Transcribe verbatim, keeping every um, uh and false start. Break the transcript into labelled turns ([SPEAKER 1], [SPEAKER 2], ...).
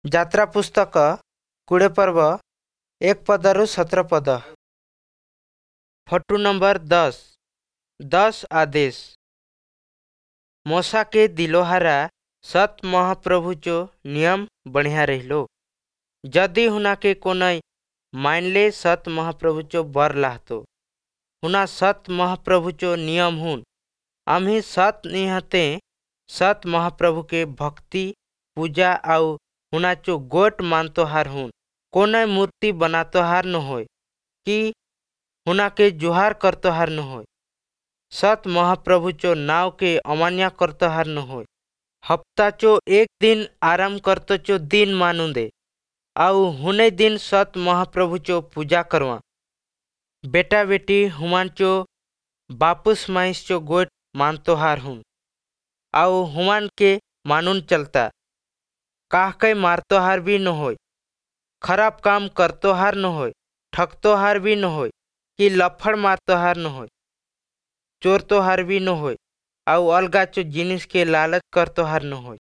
[SPEAKER 1] ଯାତ୍ରା ପୁସ୍ତକ କୋଡ଼ିଏ ପର୍ବ ଏକ ପଦରୁ ସତର ପଦ। ଫଟୁ ନମ୍ବର ଦଶ, ଦଶ ଆଦେଶ। ମୋଶାକେ ଦିଲୋହାରା ସତ ମହାପ୍ରଭୁଚୋ ନିୟମ ବଢ଼ିଆ ରହିलो। ଯଦି हुनाके कोनै मानले सत महाप्रभुचो बर लाहतो। हुना सत महाप्रभुचो नियम हुन। आम्ही सत निहते सत महाप्रभु के भक्ति पूजा आउ हुनाचो गोट मानतोहार हुन। कोनै मूर्ति बनातोहार न होय कि हुनाके जुहार करतोहार न होय। सत महाप्रभुचो नाव के अमान्य करतोहार न होय। हप्ताचो एक दिन आराम करतोचो दिन मानून दे आउ हुने दिन सत महाप्रभुचो पूजा करवा। बेटा बेटी हुमानचो बापुस माइसचो गोट मानतोहार हुन आउ हुमान के मानून चलता। काहकै मारतोहार भी न होय, खराब काम करतोहार न होय, ठगतोहार भी न होय कि लफड़ मारतोहार न होय, चोरतोहार भी न होय आउ अलगाचो जिनिस के लालच करतोहार न होय।